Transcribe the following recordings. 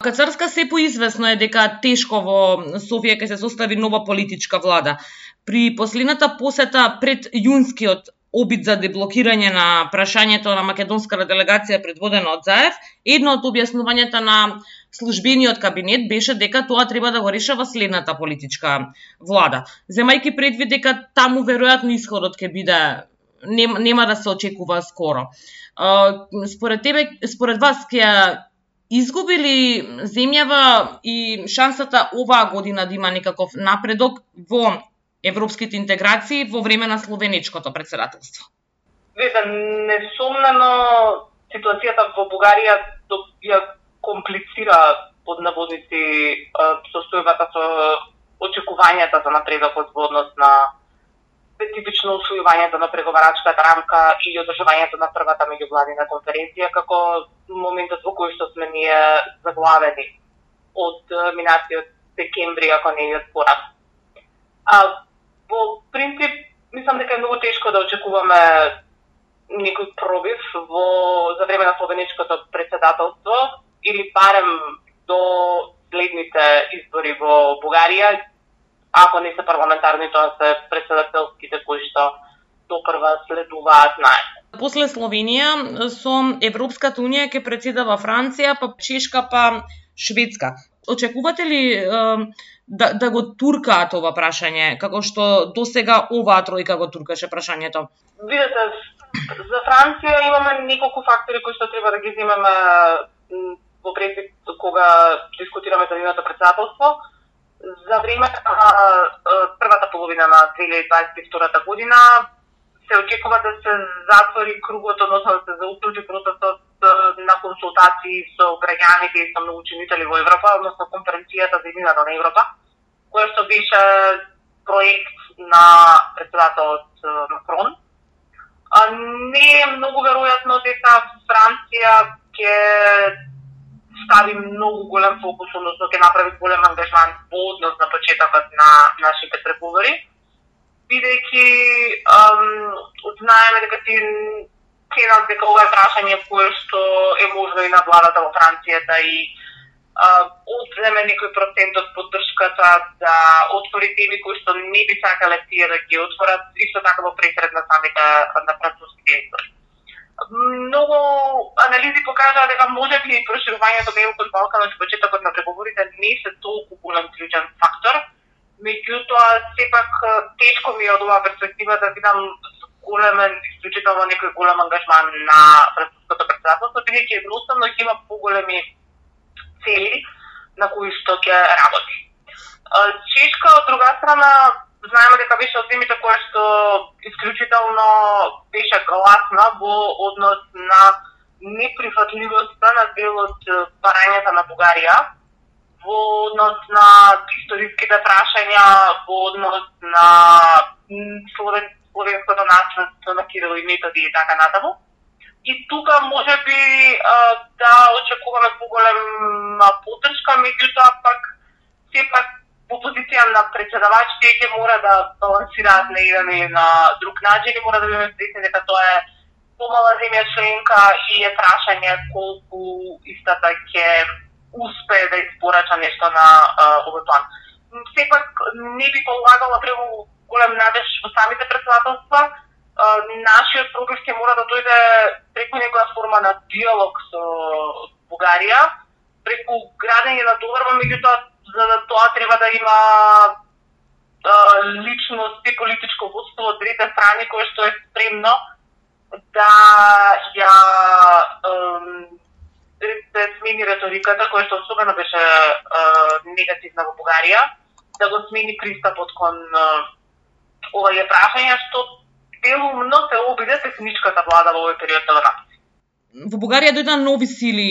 Кацарска се поизвестно е дека тешко во Софија ќе се состави нова политичка влада. При последната посета пред јунскиот обид за деблокирање на прашањето на македонската делегација предводена од Заев, едно од објаснувањата на службениот кабинет беше дека тоа треба да го решава следната политичка влада. Земајќи предвид дека таму веројатно исходот ќе биде нема да се очекува скоро. Според вас ќе изгуби ли земјава и шансата оваа година да има некаков напредок во европските интеграции во време на словеничкото председателство? Несомнено ситуацијата во Бугарија ја комплицира под наводници состојбата со очекувањата за напредокот во однос на специфично усвојувањето на преговарачката рамка и одржувањето на првата меѓувладина конференција како моментот во кој што сме ние заглавени од минатиот декември, ако не и од порано. Во принцип, мислам дека е многу тешко да очекуваме некој пробив за време на словеничкото председателство или барем до следните избори во Бугарија, ако не се парламентарни, тоа се председателските кои што допрва следуваат најде. После Словенија со Европската унија ќе претседава Франција, па Чешка, па Шведска. Очекувате ли да го туркаат ова прашање, како што досега оваа тројка го туркаше прашањето? Видете, за Франција имаме неколку фактори кои што треба да ги земеме во предвид кога дискутираме за нивното председателство. За време на првата половина на 2022 година се очекува да се затвори кругот, односно да се зауклучи процесот на консултации со граѓаните и со наученици во Европа, односно конференцијата за иднината на Европа, која што беше проект на председателот Макрон. Не е многу веројатно дека Франција ќе стави многу голем фокус, односно ќе направи голем ангажман во однос на почетокот на нашите преговори, бидејќи знаеме дека ти ценат дека ова е прашање кое што е можно и на владата во Франција да и одземе некој процент од поддршката, да отвори теми кои што не би сакале тие да ги отворат, исто така во пресред на самите на француските избори. Многу анализи покажаа дека можеби проширувањето на ЕУ-кон Балканот и почетокот на преговорите не се толку голем клучен фактор, меѓутоа сепак тешко ми е од оваа перспектива да видам големен, исклучително некој голем ангажман на француското председателство, бидејќи едноставно ќе има поголеми цели на кои што ќе работи. Чешка, од друга страна, знаеме дека беше од темите која што исклучително беше гласна во однос на неприфатливоста на дел од барањата на Бугарија, во однос на историските прашања, во однос на словенското наследство на Кирил и Методи и така натаму. И тука можеби да очекуваме поголема поддршка, меѓутоа пак сепак во позиција на председавачите ќе мора да балансираат на еден или на друг начин и мора да бидеме свесни дека тоа е помала земја членка и е прашање колку истата ќе успее да испорача нешто на овој план. Сепак не би полагала преву голем надеж во самите председателства. Нашиот пробив ќе мора да дојде преку некоја форма на диалог со Бугарија, преку градење на доверба, меѓутоа за да тоа треба да има личност и политичко водство од двете страни кое што е спремно да ја да смени реториката, која што особено беше негативна во Бугарија, да го смени пристапот кон овие прашања, што делумно се обиде техничката влада во овој период да го написи. Во Бугарија дојдоа нови сили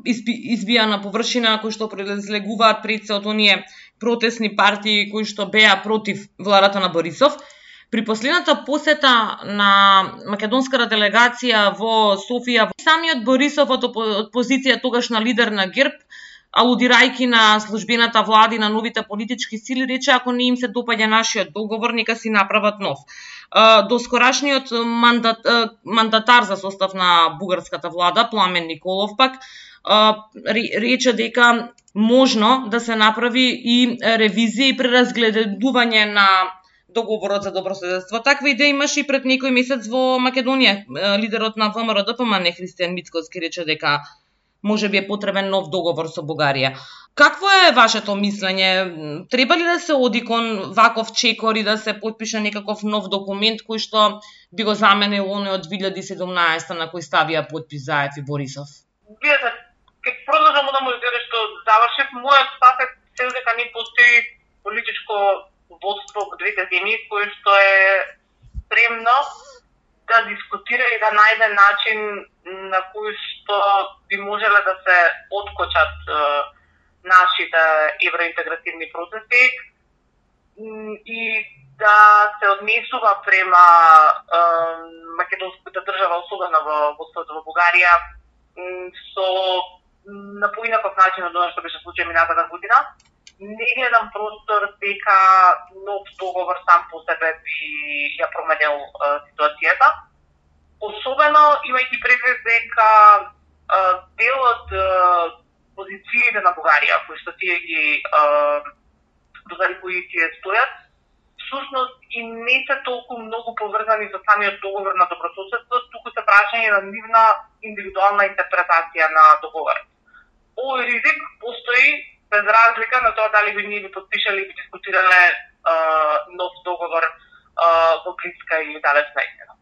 избија на површина кои што произлегуваат пред се од оние протестни партии кои што беа против владата на Борисов. При последната посета на македонската делегација во Софија, самиот Борисов од позиција тогаш на лидер на ГЕРБ алудирајќи на службената влада и на новите политички сили, рече ако не им се допаѓа нашиот договор, нека си направат нов. Доскорашниот мандатар за состав на бугарската влада, Пламен Николов пак, рече дека можно да се направи и ревизија и преразгледување на договорот за добрососедство. Таква идеја имаше и пред некој месец во Македонија. Лидерот на ВМРО ДПМН Христијан Мицкоски рече дека можеби е потребен нов договор со Бугарија. Какво е вашето мислење? Треба ли да се оди кон ваков чекор и да се потпише некаков нов документ кој што би го заменил оној од 2017 на кој ставија потпис Заев и Борисов? Видете, ке продолжам да му изгледа што завршив, мојот став е цел дека не постои политичко водство во двете земји кој што е спремно да дискутира и да најде начин на кој што би можеле да се откочат нашите евроинтегративни процеси и да се однесува према македонската држава, особено во Бугарија, со на поинаков начин од она што беше случај минатата година. Не гледам простор дека нов договор сам по себе би ја променил ситуацијата. Особено имајќи предвид дека дел од позициите на Бугарија, кои што тие ги кои тие стојат, всушност и не се толку многу поврзани со самиот договор на добрососедство, туку се прашање на нивна индивидуална интерпретација на договорот. Овој ризик постои без разлика на тоа дали би ние би подпишали и би дискутирале нов договор во блиска или далечна иднина.